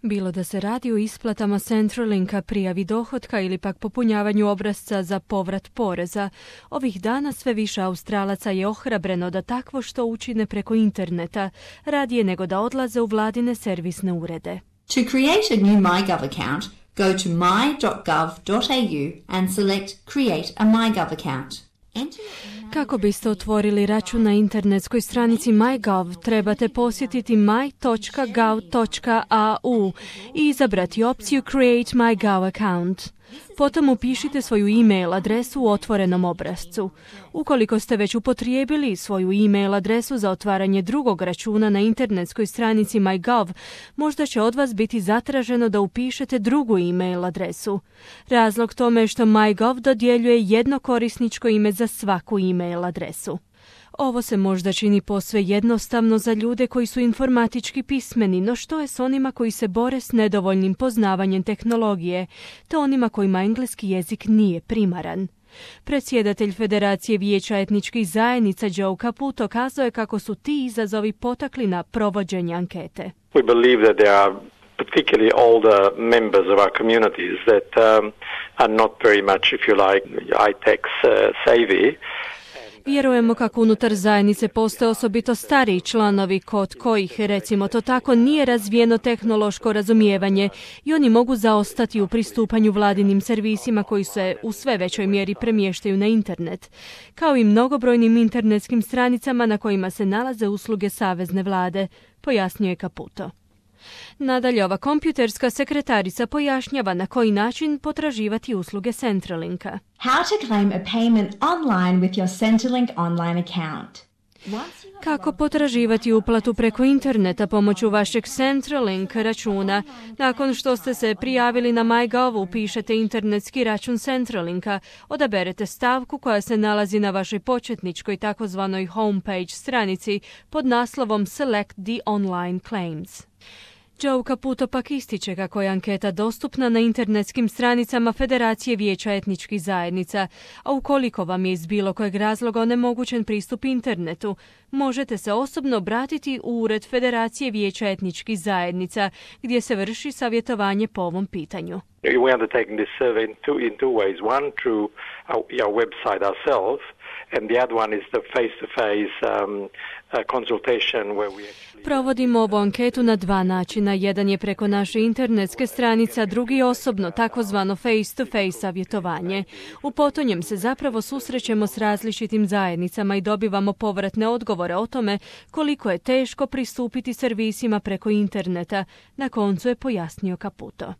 Bilo da se radi o isplatama Centralinka, prijavi dohotka ili pak popunjavanju obrasca za povrat poreza, ovih dana sve više Australaca je ohrabreno da takvo što učine preko interneta, radije nego da odlaze u vladine servisne urede. To create a new MyGov account, go to my.gov.au and select Create a MyGov account. Kako biste otvorili račun na internetskoj stranici MyGov, trebate posjetiti my.gov.au i izabrati opciju Create MyGov account. Potom upišite svoju e-mail adresu u otvorenom obrascu. Ukoliko ste već upotrijebili svoju e-mail adresu za otvaranje drugog računa na internetskoj stranici MyGov, možda će od vas biti zatraženo da upišete drugu e-mail adresu. Razlog tome je što MyGov dodjeljuje jedno korisničko ime za svaku e-mail adresu. Ovo se možda čini posve jednostavno za ljude koji su informatički pismeni, no što je s onima koji se bore s nedovoljnim poznavanjem tehnologije, te onima kojima engleski jezik nije primaran? Predsjedatelj Federacije vijeća etničkih zajednica Joe Caputo kazao je kako su ti izazovi potakli na provođenje ankete. We believe that there are particularly older members of our communities that are not very much, if you like, high-tech savvy. Vjerujemo kako unutar zajednice postoje osobito stariji članovi kod kojih, recimo to tako, nije razvijeno tehnološko razumijevanje i oni mogu zaostati u pristupanju vladinim servisima koji se u sve većoj mjeri premještaju na internet, kao i mnogobrojnim internetskim stranicama na kojima se nalaze usluge savezne vlade, pojasnio je Caputo. Nadalje, ova kompjuterska sekretarica pojašnjava na koji način potraživati usluge Centralinka. How to claim a payment online with your Centrelink online account. Kako potraživati uplatu preko interneta pomoću vašeg Centrelink računa. Nakon što ste se prijavili na MyGov, upišete internetski račun Centralinka, odaberete stavku koja se nalazi na vašoj početničkoj takozvanoj homepage stranici pod naslovom Select the online claims. Joe Caputo pak ističe kako je anketa dostupna na internetskim stranicama Federacije vijeća etničkih zajednica, a ukoliko vam je iz bilo kojeg razloga onemogućen pristup internetu, možete se osobno obratiti u Ured Federacije vijeća etničkih zajednica, gdje se vrši savjetovanje po ovom pitanju. We are undertaking this survey in two ways. One, through our website ourselves, and the other one is the face-to-face consultation where we actually... Provodimo ovu anketu na dva načina. Jedan je preko naše internetske stranice, a drugi osobno, takozvano face-to-face savjetovanje. U potonjem se zapravo susrećemo s različitim zajednicama i dobivamo povratne odgovore o tome koliko je teško pristupiti servisima preko interneta. Na koncu je pojasnio Caputo.